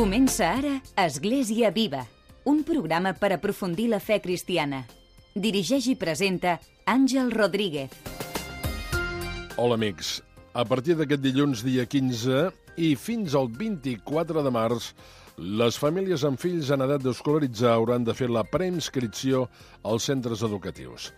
Comença ara Església Viva, un programa per aprofundir la fe cristiana. Dirigeix i presenta Àngel Rodríguez. Hola, amics. A partir d'aquest dilluns, dia 15, i fins al 24 de març, les famílies amb fills en edat d'escolaritzar hauran de fer la preinscripció als centres educatius.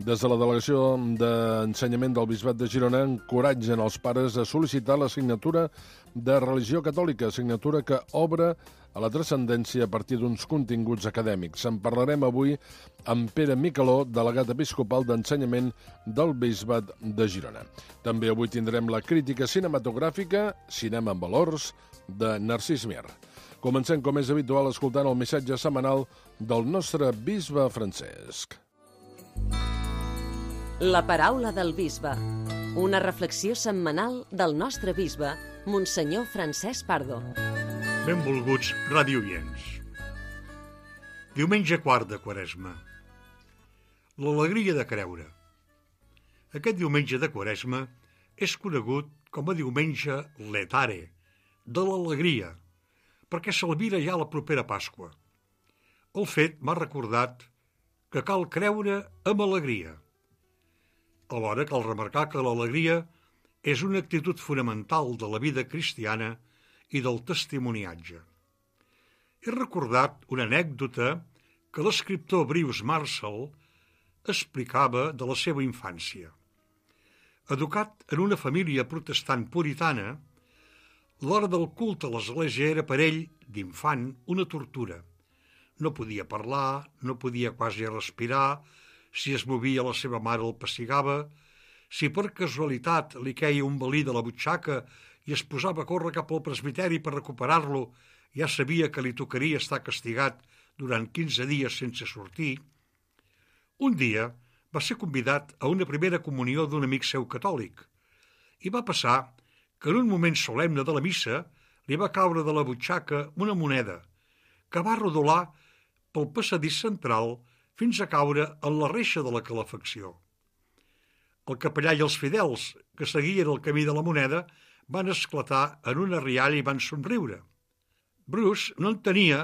Des de la Delegació d'Ensenyament del Bisbat de Girona encoratgen els pares a sol·licitar l'assignatura de religió catòlica, assignatura que obre a la transcendència a partir d'uns continguts acadèmics. En parlarem avui amb Pere Micaló, delegat episcopal d'Ensenyament del Bisbat de Girona. També avui tindrem la crítica cinematogràfica, Cinema amb valors, de Narcís Mir. Comencem, com és habitual, escoltant el missatge setmanal del nostre bisbe Francesc. La paraula del bisbe. Una reflexió setmanal del nostre bisbe, Monsenyor Francesc Pardo. Benvolguts radioients. Diumenge quart de Quaresma. L'alegria de creure. Aquest diumenge de Quaresma és conegut com a diumenge letare, de l'alegria, perquè s'albira ja la propera Pasqua. El fet m'ha recordat que cal creure amb alegria. Alhora cal remarcar que l'alegria és una actitud fonamental de la vida cristiana i del testimoniatge. He recordat una anècdota que l'escriptor Bruce Marshall explicava de la seva infància. Educat en una família protestant puritana, l'hora del culte a l'església era per ell, d'infant, una tortura. No podia parlar, no podia quasi respirar, si es movia la seva mare el pessigava, si per casualitat li queia un balí de la butxaca i es posava a córrer cap al presbiteri per recuperar-lo, ja sabia que li tocaria estar castigat durant 15 dies sense sortir. Un dia va ser convidat a una primera comunió d'un amic seu catòlic i va passar que en un moment solemne de la missa li va caure de la butxaca una moneda que va rodolar pel passadís central fins a caure en la reixa de la calefacció. El capellà i els fidels que seguien el camí de la moneda van esclatar en una rialla i van somriure. Bruce no entenia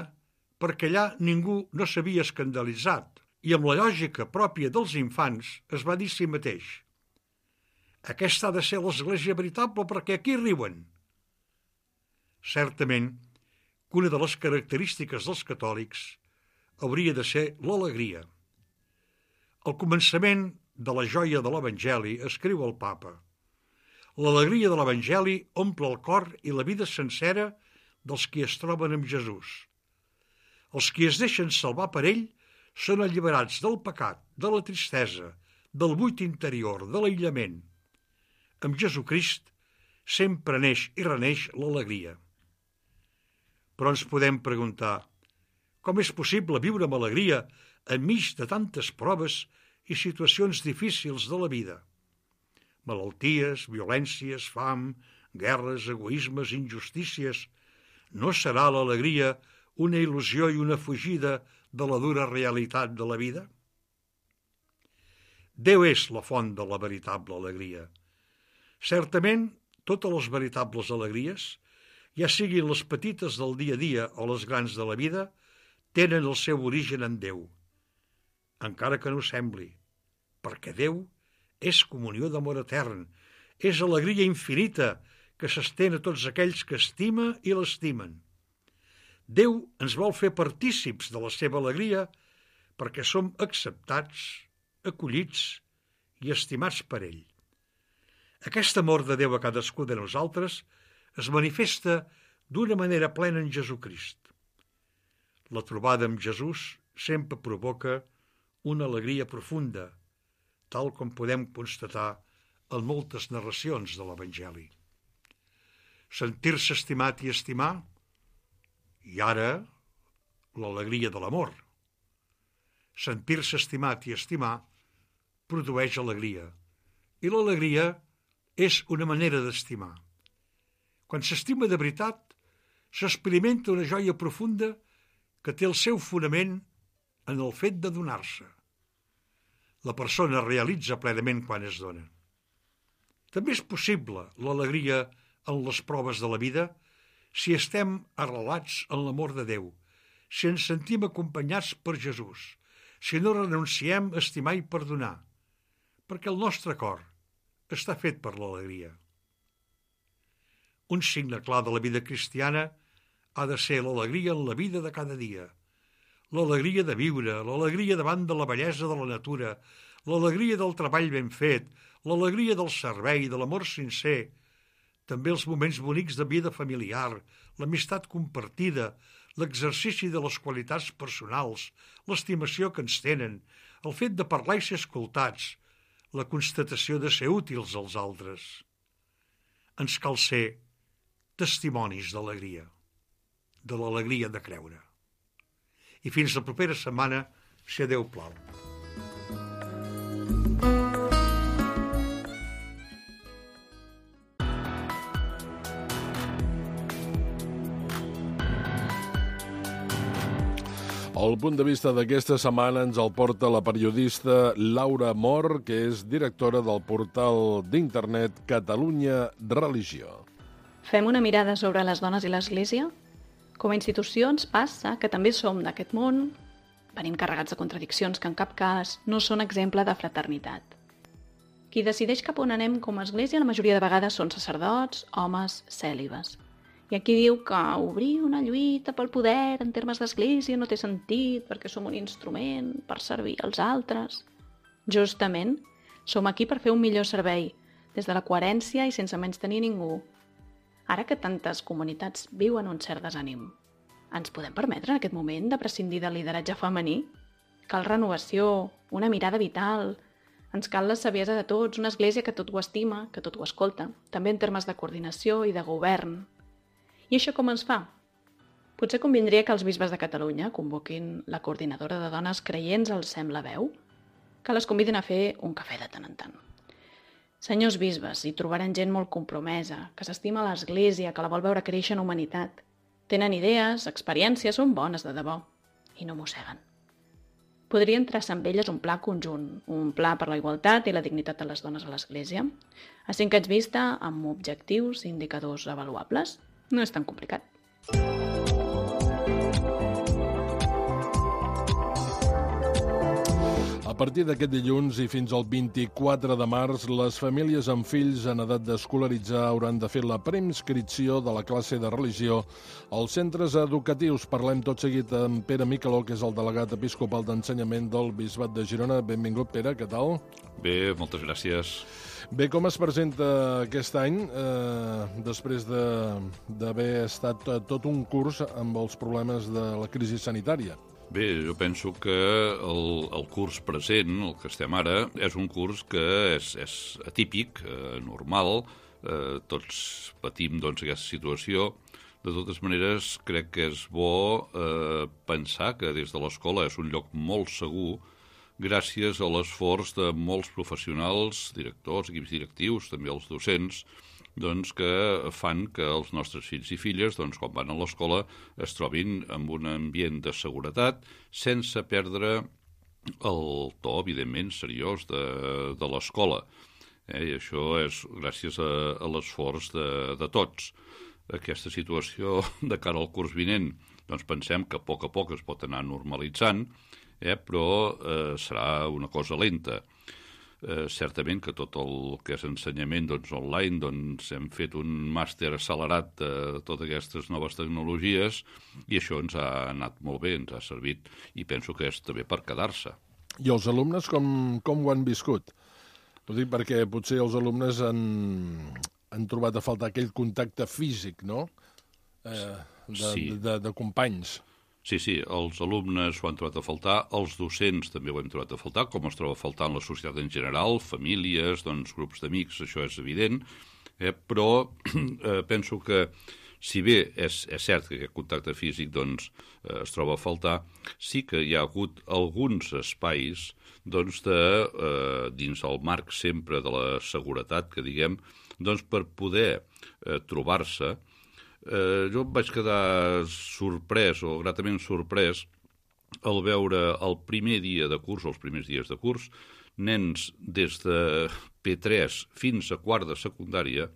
perquè allà ningú no s'havia escandalitzat i amb la lògica pròpia dels infants es va dir a si mateix: aquesta ha de ser l'església veritable perquè aquí riuen. Certament que una de les característiques dels catòlics hauria de ser l'alegria. Al començament de la joia de l'Evangeli escriu el papa: l'alegria de l'Evangeli omple el cor i la vida sencera dels qui es troben amb Jesús. Els qui es deixen salvar per ell són alliberats del pecat, de la tristesa, del buit interior, de l'aïllament. Amb Jesucrist sempre neix i reneix l'alegria. Però ens podem preguntar: com és possible viure amb alegria enmig de tantes proves i situacions difícils de la vida? Malalties, violències, fam, guerres, egoismes, injustícies. No serà l'alegria una il·lusió i una fugida de la dura realitat de la vida? Déu és la font de la veritable alegria. Certament, totes les veritables alegries, ja siguin les petites del dia a dia o les grans de la vida, tenen el seu origen en Déu, encara que no sembli, perquè Déu és comunió d'amor etern, és alegria infinita que s'estén a tots aquells que estima i l'estimen. Déu ens vol fer partícips de la seva alegria perquè som acceptats, acollits i estimats per ell. Aquest amor de Déu a cadascú de nosaltres es manifesta d'una manera plena en Jesucrist. La trobada amb Jesús sempre provoca una alegria profunda, tal com podem constatar en moltes narracions de l'Evangeli. Sentir-se estimat i estimar, i ara l'alegria de l'amor. Sentir-se estimat i estimar produeix alegria, i l'alegria és una manera d'estimar. Quan s'estima de veritat, s'experimenta una joia profunda que té el seu fonament en el fet de donar-se. La persona realitza plenament quan es dona. També és possible l'alegria en les proves de la vida si estem arrelats en l'amor de Déu, si ens sentim acompanyats per Jesús, si no renunciem a estimar i perdonar, perquè el nostre cor està fet per l'alegria. Un signe clar de la vida cristiana ha de ser l'alegria en la vida de cada dia, l'alegria de viure, l'alegria davant de la bellesa de la natura, l'alegria del treball ben fet, l'alegria del servei, de l'amor sincer, també els moments bonics de vida familiar, l'amistat compartida, l'exercici de les qualitats personals, l'estimació que ens tenen, el fet de parlar i ser escoltats, la constatació de ser útils als altres. Ens cal ser testimonis d'alegria, de l'alegria de creure. I fins la propera setmana, si Déu plau. El punt de vista d'aquesta setmana ens el porta la periodista Laura Mor, que és directora del portal d'internet Catalunya Religió. Fem una mirada sobre les dones i l'Església? Com a institucions passa que també som d'aquest món, venim carregats de contradiccions que en cap cas no són exemple de fraternitat. Qui decideix cap on anem com a Església la majoria de vegades són sacerdots, homes, cèlibes. Hi ha qui diu que obrir una lluita pel poder en termes d'església no té sentit perquè som un instrument per servir als altres. Justament, som aquí per fer un millor servei, des de la coherència i sense menystenir ningú. Ara que tantes comunitats viuen un cert desànim, ens podem permetre en aquest moment de prescindir del lideratge femení? Cal renovació, una mirada vital. Ens cal la saviesa de tots, una església que tot ho estima, que tot ho escolta, també en termes de coordinació i de govern. I això com es fa? Potser convindria que els bisbes de Catalunya convoquin la coordinadora de dones creients al Sembla Veu, que les convidin a fer un cafè de tant en tant. Senyors bisbes, hi trobaran gent molt compromesa, que s'estima l'Església, que la vol veure créixer en humanitat. Tenen idees, experiències, són bones de debò, i no mosseguen. Podrien traçar amb elles un pla conjunt, un pla per la igualtat i la dignitat de les dones a l'Església, a 5 anys vista, amb objectius i indicadors avaluables. No és tan complicat. A partir d'aquest dilluns i fins al 24 de març, les famílies amb fills en edat d'escolaritzar hauran de fer la preinscripció de la classe de religió als centres educatius. Parlem tot seguit amb Pere Micaló, que és el delegat episcopal d'ensenyament del Bisbat de Girona. Benvingut, Pere, què tal? Bé, moltes gràcies. Bé, com es presenta aquest any, després d'haver estat tot un curs amb els problemes de la crisi sanitària? Bé, jo penso que el curs present, el que estem ara, és un curs que és atípic, normal, tots patim aquesta situació. De totes maneres, crec que és bo pensar que des de l'escola és un lloc molt segur gràcies a l'esforç de molts professionals, directors, equips directius, també els docents, que fan que els nostres fills i filles, quan van a l'escola, es trobin en un ambient de seguretat, sense perdre el to, evidentment, seriós de l'escola. I això és gràcies a l'esforç de tots. Aquesta situació de cara al curs vinent, pensem que a poc es pot anar normalitzant, però serà una cosa lenta. Certament que tot el que és ensenyament online, hem fet un màster accelerat de totes aquestes noves tecnologies i això ens ha anat molt bé, ens ha servit i penso que és també per quedar-se. I els alumnes com ho han viscut? Ho dic perquè potser els alumnes han trobat a faltar aquell contacte físic, no? De companys. Sí, els alumnes ho han trobat a faltar, els docents també ho han trobat a faltar, com es troba a faltar en la societat en general, famílies, grups d'amics, això és evident, però penso que, si bé és cert que aquest contacte físic es troba a faltar, sí que hi ha hagut alguns espais dins el marc sempre de la seguretat, que diguem, per poder trobar-se. Jo em vaig quedar sorprès, o gratament sorprès, al veure el primer dia de curs, els primers dies de curs, nens des de P3 fins a quart de secundària,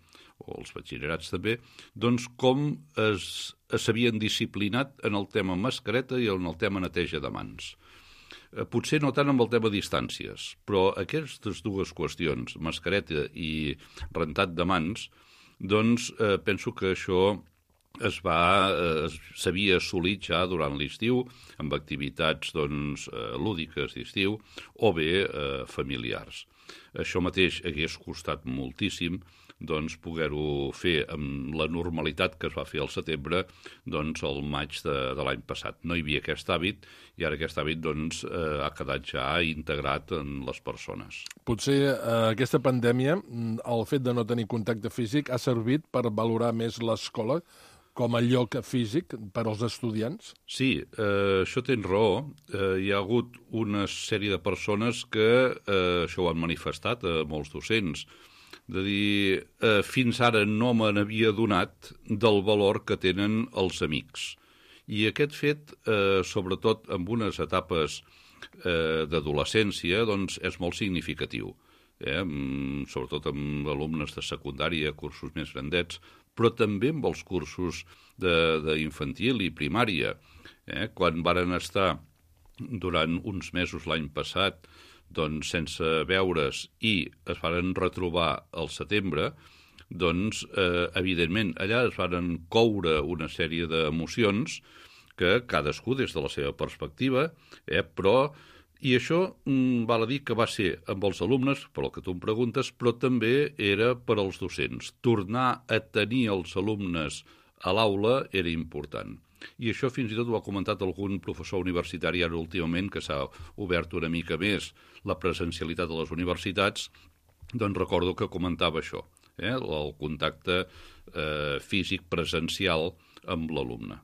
o els batxillerats també, doncs com s'havien disciplinat en el tema mascareta i en el tema neteja de mans. Potser no tant amb el tema distàncies, però aquestes dues qüestions, mascareta i rentat de mans, doncs penso que això s'havia assolit ja durant l'estiu amb activitats lúdiques d'estiu o bé familiars. Això mateix hagués costat moltíssim poder-ho fer amb la normalitat que es va fer al setembre al maig de l'any passat. No hi havia aquest hàbit i ara aquest hàbit ha quedat ja integrat en les persones. Potser aquesta pandèmia, el fet de no tenir contacte físic, ha servit per valorar més l'escola com a lloc físic per als estudiants? Sí, això tens raó. Hi ha hagut una sèrie de persones que això ho han manifestat a molts docents, de dir, fins ara no me n'havia donat del valor que tenen els amics. I aquest fet, sobretot en unes etapes d'adolescència, és molt significatiu. Sobretot amb alumnes de secundària, cursos més grandets, però també amb els cursos d'infantil i primària. Quan varen estar durant uns mesos l'any passat sense veure's i es varen retrobar al setembre, evidentment, allà es varen coure una sèrie d'emocions que cadascú des de la seva perspectiva, però... I això val a dir que va ser amb els alumnes, per el que tu em preguntes, però també era per als docents. Tornar a tenir els alumnes a l'aula era important. I això fins i tot ho ha comentat algun professor universitari ara últimament, que s'ha obert una mica més la presencialitat de les universitats, recordo que comentava això, el contacte físic presencial amb l'alumne.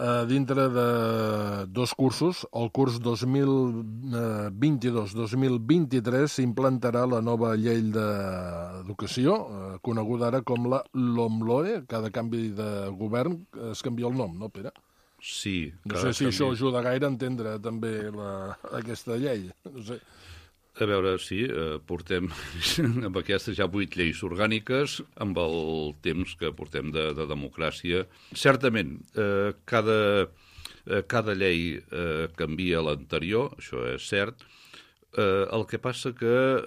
Dintre de dos cursos, el curs 2022-2023 s'implantarà la nova llei d'educació, coneguda ara com la LOMLOE. Cada canvi de govern es canvia el nom, no, Pere? Sí. No sé si això ajuda gaire a entendre també aquesta llei, no sé. A veure, sí, portem amb aquestes ja 8 lleis orgàniques, amb el temps que portem de democràcia. Certament, cada llei canvia l'anterior, això és cert. El que passa que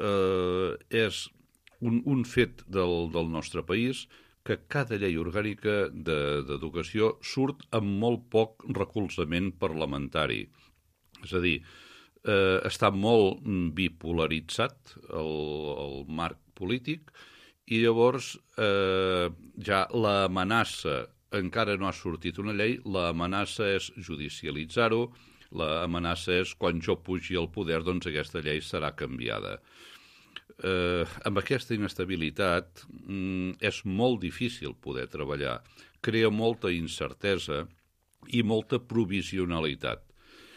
és un fet del nostre país que cada llei orgànica d'educació surt amb molt poc recolzament parlamentari. És a dir, està molt bipolaritzat el marc polític i llavors ja l'amenaça, encara no ha sortit una llei, l'amenaça és judicialitzar-ho, l'amenaça és quan jo pugi al poder, aquesta llei serà canviada. Amb aquesta inestabilitat és molt difícil poder treballar, crea molta incertesa i molta provisionalitat.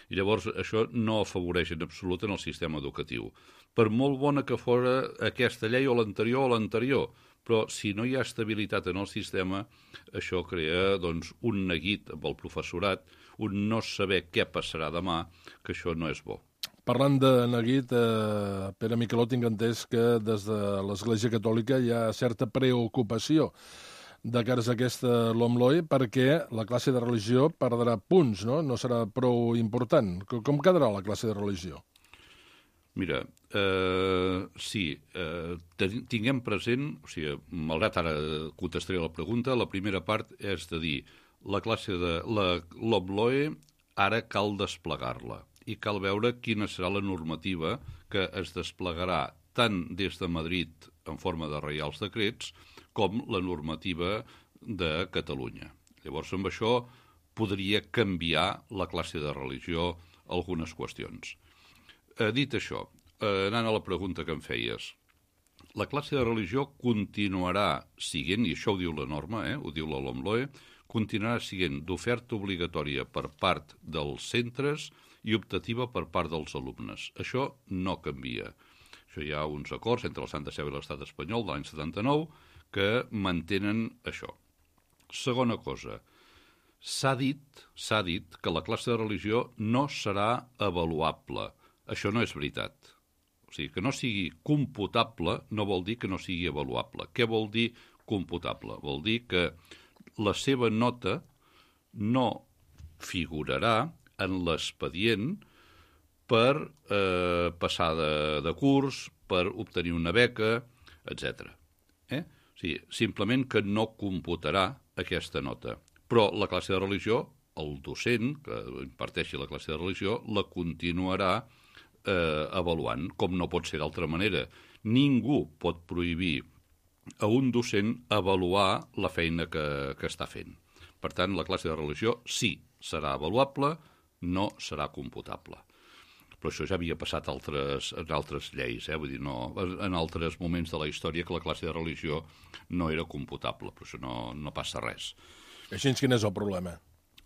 I llavors això no afavoreix en absolut en el sistema educatiu. Per molt bona que fora aquesta llei o l'anterior, però si no hi ha estabilitat en el sistema, això crea un neguit amb el professorat, un no saber què passarà demà, que això no és bo. Parlant de neguit, Pere Miqueló, tinc entès que des de l'Església Catòlica hi ha certa preocupació de cares a aquesta LOMLOE perquè la classe de religió perdrà punts, no? No serà prou important. Com quedarà la classe de religió? Mira, sí, tinguem present, o sigui, malgrat ara contestaré la pregunta, la primera part és de dir, la classe de la LOMLOE ara cal desplegar-la i cal veure quina serà la normativa que es desplegarà tant des de Madrid en forma de reials decrets com la normativa de Catalunya. Llavors, amb això podria canviar la classe de religió algunes qüestions. Dit això, anant a la pregunta que em feies, la classe de religió continuarà siguent, i això ho diu la norma, ho diu la LOMLOE, continuarà siguent d'oferta obligatòria per part dels centres i optativa per part dels alumnes. Això no canvia. Això hi ha uns acords entre la Santa Seu i l'Estat espanyol de l'any 79 que mantenen això. Segona cosa, s'ha dit que la classe de religió no serà avaluable. Això no és veritat. O sigui, que no sigui computable no vol dir que no sigui avaluable. Què vol dir computable? Vol dir que la seva nota no figurarà en l'expedient per passar de curs, per obtenir una beca, etc. O sigui, simplement que no computarà aquesta nota. Però la classe de religió, el docent que imparteixi la classe de religió, la continuarà avaluant, com no pot ser d'altra manera. Ningú pot prohibir a un docent avaluar la feina que està fent. Per tant, la classe de religió sí serà avaluable, no serà computable. Però això ja havia passat en altres lleis, vull dir, no, en altres moments de la història que la classe de religió no era computable, però això no passa res. Així, quin és el problema?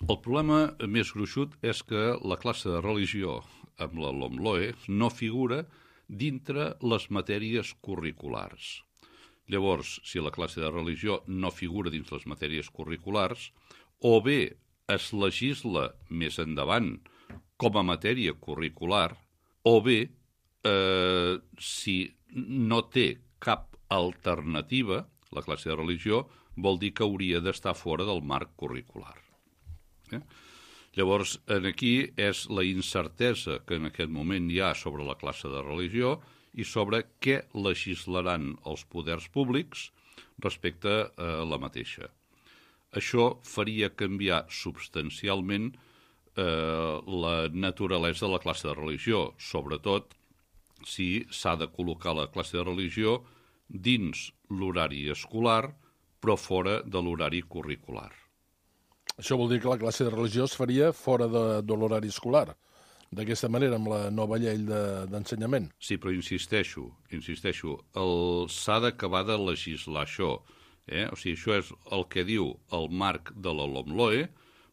El problema més gruixut és que la classe de religió amb la LOMLOE no figura dintre les matèries curriculars. Llavors, si la classe de religió no figura dins les matèries curriculars, o bé es legisla més endavant com a matèria curricular, o bé, si no té cap alternativa, la classe de religió vol dir que hauria d'estar fora del marc curricular. Llavors, aquí és la incertesa que en aquest moment hi ha sobre la classe de religió i sobre què legislaran els poders públics respecte a la mateixa. Això faria canviar substancialment la naturalesa de la classe de religió, sobretot si s'ha de col·locar la classe de religió dins l'horari escolar, però fora de l'horari curricular. Això vol dir que la classe de religió es faria fora de l'horari escolar, d'aquesta manera, amb la nova llei d'ensenyament. Sí, però insisteixo, s'ha d'acabar de legislar això. O sigui, això és el que diu el marc de la LOMLOE,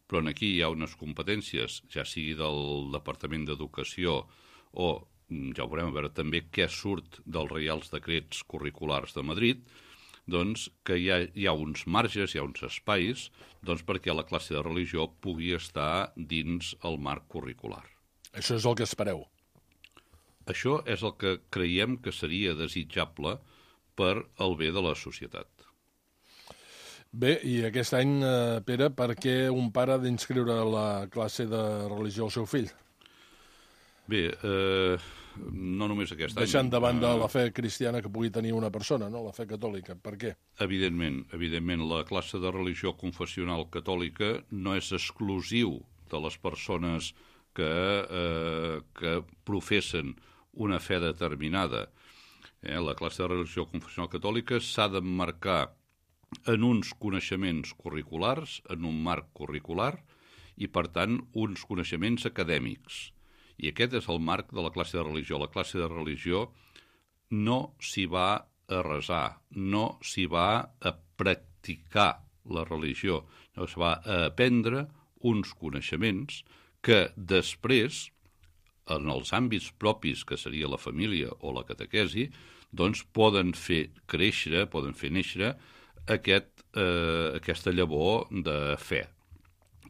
però aquí hi ha unes competències, ja sigui del Departament d'Educació o, ja ho veurem, a veure també què surt dels Reials Decrets Curriculars de Madrid, doncs que hi ha uns marges, hi ha uns espais, doncs perquè la classe de religió pugui estar dins el marc curricular. Això és el que espereu? Això és el que creiem que seria desitjable per al bé de la societat. Bé, i aquest any, Pere, per què un pare ha d'inscriure la classe de religió al seu fill? Bé, no només aquest any. Deixant de banda la fe cristiana que pugui tenir una persona, no? La fe catòlica. Per què? Evidentment, la classe de religió confessional catòlica no és exclusiu de les persones que professen una fe determinada. La classe de religió confessional catòlica s'ha d'emmarcar en uns coneixements curriculars, en un marc curricular, i, per tant, uns coneixements acadèmics. I aquest és el marc de la classe de religió. La classe de religió no s'hi va a resar, no s'hi va a practicar la religió, no s'hi va a aprendre uns coneixements que després, en els àmbits propis, que seria la família o la catequesi, doncs poden fer créixer, poden fer néixer aquesta llavor de fe.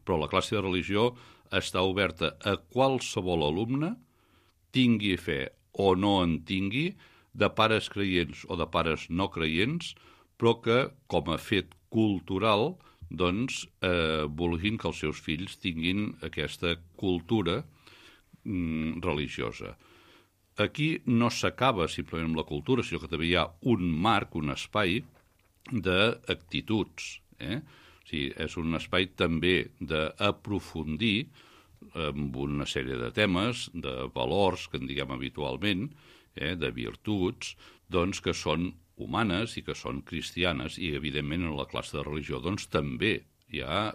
Però la classe de religió està oberta a qualsevol alumne, tingui fe o no en tingui, de pares creients o de pares no creients, però que, com a fet cultural, doncs, vulguin que els seus fills tinguin aquesta cultura religiosa. Aquí no s'acaba simplement amb la cultura, sinó que també hi ha un marc, un espai d'actituds. O sigui, és un espai també d'aprofundir amb una sèrie de temes, de valors que en diguem habitualment, de virtuts, doncs que són humanes i que són cristianes, i evidentment en la classe de religió doncs també hi ha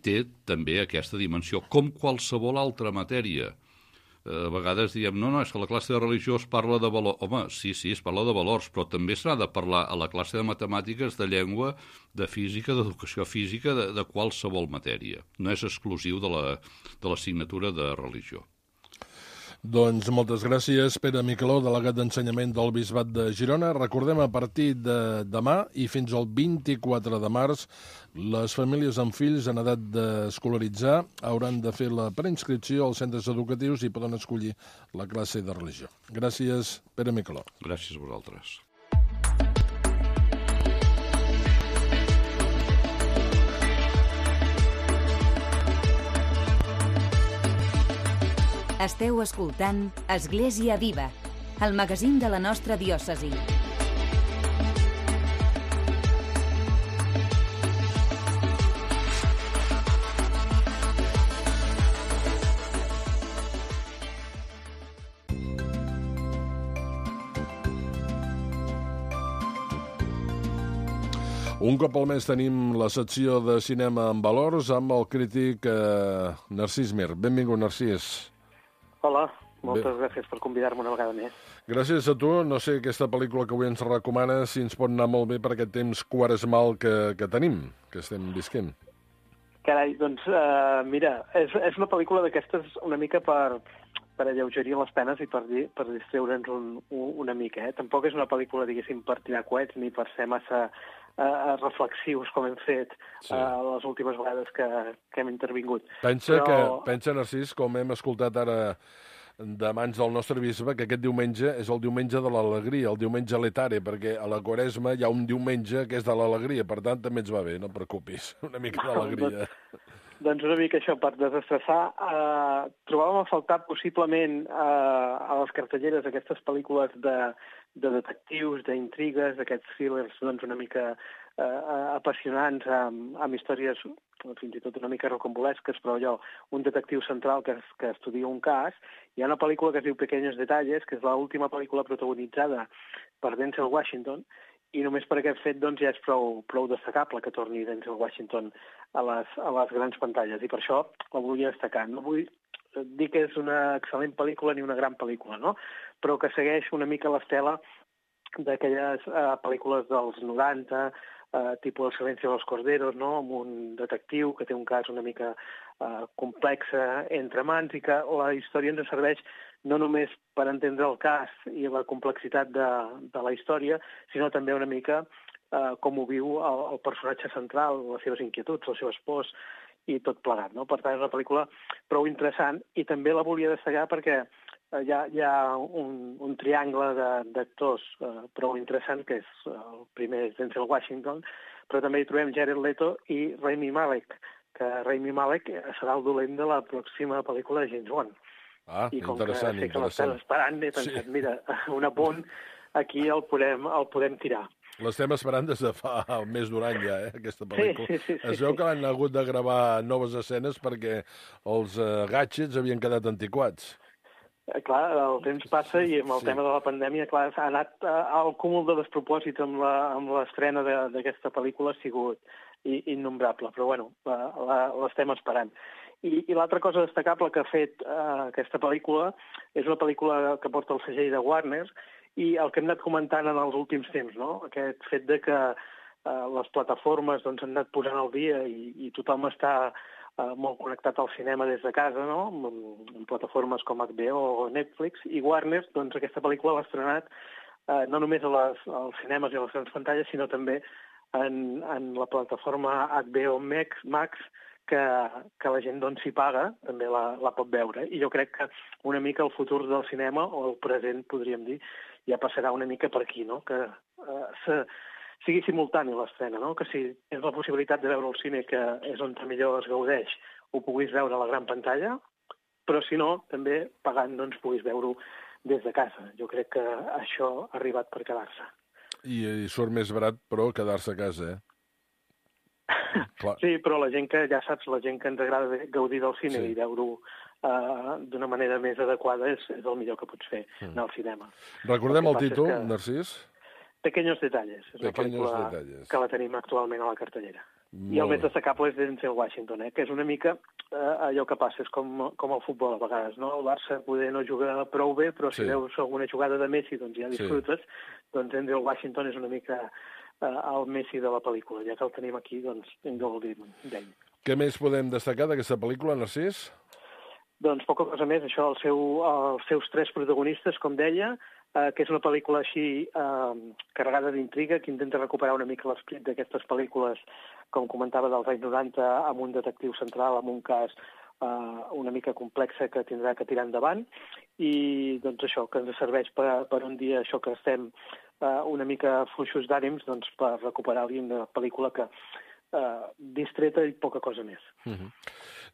té també aquesta dimensió, com qualsevol altra matèria. A vegades diem, no, és que a la classe de religió es parla de valors. Home, sí, es parla de valors, però també s'ha de parlar a la classe de matemàtiques, de llengua, de física, d'educació física, de qualsevol matèria. No és exclusiu de l'assignatura de religió. Doncs moltes gràcies, Pere Miqueló, delegat d'Ensenyament del Bisbat de Girona. Recordem, a partir de demà i fins al 24 de març, les famílies amb fills en edat d'escolaritzar hauran de fer la preinscripció als centres educatius i poden escollir la classe de religió. Gràcies, Pere Miqueló. Gràcies a vosaltres. Esteu escoltant Església Viva, el magazín de la nostra diòcesi. Un cop al mes tenim la secció de cinema en valors amb el crític Narcís Mir. Benvingut, Narcís. Hola, moltes gràcies per convidar-me una vegada més. Gràcies a tu. No sé, aquesta pel·lícula que avui ens recomana si ens pot anar molt bé per aquest temps quaresmal que tenim, que estem visquent. Carai, doncs, mira, és una pel·lícula d'aquestes una mica per alleugerir les penes i per distreure'ns una mica. Tampoc és una pel·lícula, diguéssim, per tirar coets ni per ser massa reflexius com hem fet les últimes vegades que hem intervingut. Pensa, Narcís, com hem escoltat ara de mans del nostre bisbe, que aquest diumenge és el diumenge de l'alegria, el diumenge letare, perquè a la Quaresma hi ha un diumenge que és de l'alegria, per tant també ens va bé, no et preocupis, una mica d'alegria. Doncs una mica això, per desestressar. Trobàvem a faltar possiblement a les cartelleres aquestes pel·lícules de detectius, d'intrigues, aquests thrillers doncs, una mica apassionants, amb històries fins i tot una mica rocambolesques, però allò, un detectiu central que estudia un cas. Hi ha una pel·lícula que es diu Pequeños Detalles, que és l'última pel·lícula protagonitzada per Denzel Washington, i només per aquest fet doncs, ja és prou destacable que torni Denzel Washington a les grans pantalles, i per això la volia destacar. No vull dir que és una excel·lent pel·lícula ni una gran pel·lícula, no? Però que segueix una mica l'estela d'aquelles pel·lícules dels 90, tipus El silencio de los corderos, no? Amb un detectiu que té un cas una mica complex entre mans i que la història ens serveix no només per entendre el cas i la complexitat de la història, sinó també una mica com ho viu el personatge central, les seves inquietuds, les seves pors i tot plegat, no? Per tant, és una pel·lícula prou interessant i també la volia destacar perquè hi ha un triangle d'actors prou interessant, que és el primer és Denzel Washington, però també hi trobem Jared Leto i Rami Malek, que Rami Malek serà el dolent de la pròxima pel·lícula de James Bond. I com interessant, que sé que l'estàs esperant, he pensat, mira, un apunt, aquí el podem tirar. L'estem esperant des de fa més d'un any ja, aquesta pel·lícula. Sí. Es veu que l'han hagut de gravar noves escenes perquè els gadgets havien quedat antiquats. Clar, el temps passa i amb el tema de la pandèmia, clar, ha anat el cúmul de despropòsits amb l'estrena d'aquesta pel·lícula ha sigut innombrable, però bueno, l'estem esperant. I l'altra cosa destacable que ha fet aquesta pel·lícula és una pel·lícula que porta el segell de Warner i el que hem anat comentant en els últims temps, no? Aquest fet de que les plataformes doncs, han anat posant al dia i tothom està molt connectat al cinema des de casa, no? En plataformes com HBO o Netflix, i Warner, doncs aquesta pel·lícula l'ha estrenat no només als cinemes i a les grans pantalles, sinó també en la plataforma HBO Max, que la gent doncs s'hi paga, també la pot veure. I jo crec que una mica el futur del cinema, o el present, podríem dir, ja passarà una mica per aquí, no? Que sigui simultani l'estrena, no? Que si tens la possibilitat de veure al cine, que és on millor es gaudeix, ho puguis veure a la gran pantalla, però si no, també pagant doncs puguis veure-ho des de casa. Jo crec que això ha arribat per quedar-se. I surt més barat, però, quedar-se a casa, Clar. Sí, però la gent que, ja saps, la gent que ens agrada gaudir del cine i veure-ho d'una manera més adequada és el millor que pots fer anar al cinema. Recordem el títol, Narcís? Pequeños Detalles. És una pel·lícula que la tenim actualment a la cartellera. I el més destacable és Denzel Washington, que és una mica allò que passa, és com el futbol a vegades, no? El Barça poder no jugar prou bé, però si veus alguna jugada de Messi, doncs ja disfrutes. Doncs Denzel Washington és una mica el Messi de la pel·lícula. Ja que el tenim aquí, doncs hem de gaudir d'ell. Què més podem destacar d'aquesta pel·lícula, Narcís? Doncs poca cosa més, això, els seus 3 protagonistes, com deia, que és una pel·lícula així carregada d'intriga, que intenta recuperar una mica l'esperit d'aquestes pel·lícules, com comentava, dels anys 90, amb un detectiu central, amb un cas una mica complexa que tindrà que tirar endavant, i doncs això, que ens serveix per un dia, això que estem una mica fluixos d'ànims, doncs per recuperar-li una pel·lícula que distreta i poca cosa més.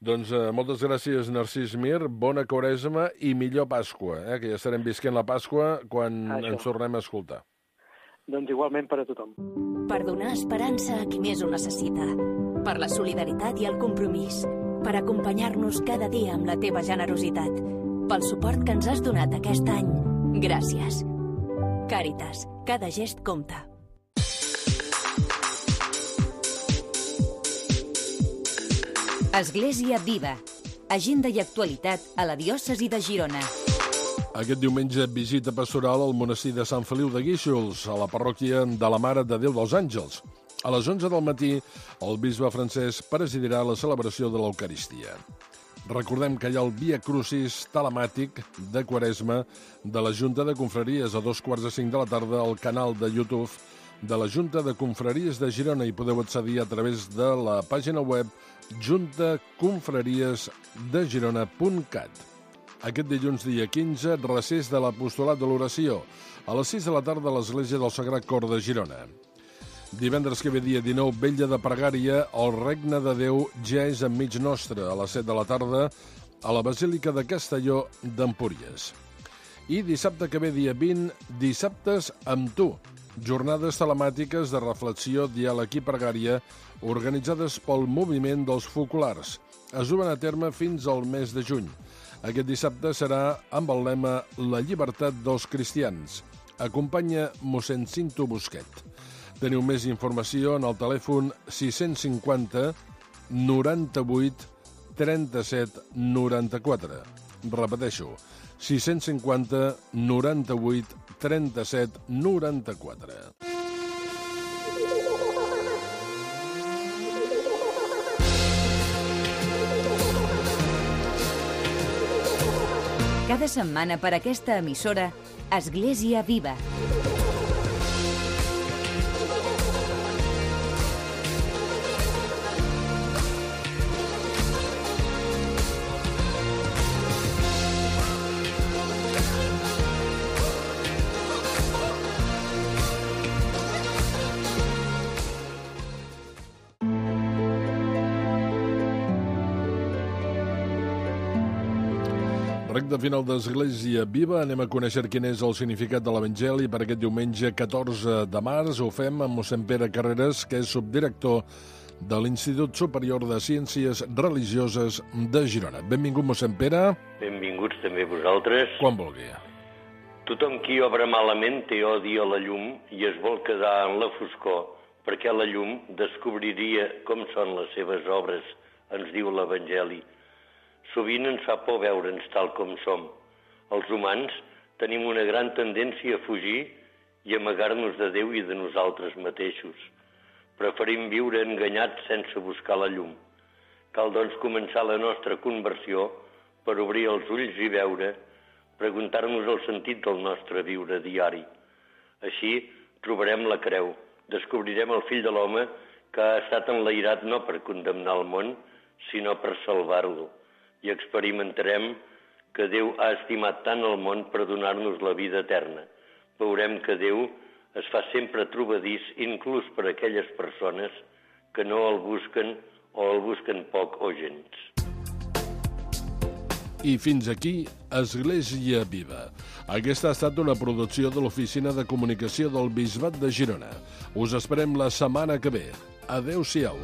Doncs moltes gràcies, Narcís Mir, bona Quaresma i millor Pasqua, que ja estarem visquent la Pasqua quan ens tornem a escoltar. Doncs igualment per a tothom. Per donar esperança a qui més ho necessita, per la solidaritat i el compromís, per acompanyar-nos cada dia amb la teva generositat, pel suport que ens has donat aquest any. Gràcies. Càritas, cada gest compta. Església Viva. Agenda i actualitat a la diòcesi de Girona. Aquest diumenge, visita pastoral al monestir de Sant Feliu de Guíxols, a la parròquia de la Mare de Déu dels Àngels. A les 11 del matí, el bisbe Francesc presidirà la celebració de l'Eucaristia. Recordem que hi ha el Via Crucis telemàtic de Quaresma de la Junta de Confraries a 2:45 de la tarda al canal de YouTube de la Junta de Confraries de Girona i podeu accedir a través de la pàgina web juntaconfrariesdegirona.cat. Aquest dilluns, dia 15, recés de l'apostolat de l'oració, a les 6 de la tarda a l'Església del Sagrat Cor de Girona. Divendres que ve, dia 19, vetlla de pregària, el Regne de Déu ja és enmig nostre, a les 7 de la tarda, a la Basílica de Castelló d'Empúries. I dissabte que ve, dia 20, dissabtes amb tu, jornades telemàtiques de reflexió, diàleg i pregària organitzades pel Moviment dels Focolars. Es duen a terme fins al mes de juny. Aquest dissabte serà amb el lema La llibertat dels cristians. Acompanya mossèn Cinto Busquet. Teniu més informació en el telèfon 650 98 37 94. Repeteixo, 650 98 37 94. Cada setmana per aquesta emissora, Església Viva. Recte final d'Església Viva, anem a conèixer quin és el significat de l'Evangeli per aquest diumenge 14 de març. Ho fem amb mossèn Pere Carreras, que és subdirector de l'Institut Superior de Ciències Religioses de Girona. Benvingut, mossèn Pere. Benvinguts també vosaltres. Quan vulgui. Tothom qui obra malament té odi a la llum i es vol quedar en la foscor, perquè la llum descobriria com són les seves obres, ens diu l'Evangeli. Sovint ens fa por veure'ns tal com som. Els humans tenim una gran tendència a fugir i amagar-nos de Déu i de nosaltres mateixos. Preferim viure enganyats sense buscar la llum. Cal, doncs, començar la nostra conversió per obrir els ulls i veure, preguntar-nos el sentit del nostre viure diari. Així trobarem la creu, descobrirem el fill de l'home que ha estat enlairat no per condemnar el món, sinó per salvar-lo. I experimentarem que Déu ha estimat tant el món per donar-nos la vida eterna. Veurem que Déu es fa sempre trobadís, inclús per aquelles persones que no el busquen o el busquen poc o gens. I fins aquí, Església Viva. Aquesta ha estat una producció de l'Oficina de Comunicació del Bisbat de Girona. Us esperem la setmana que ve. Adéu-siau.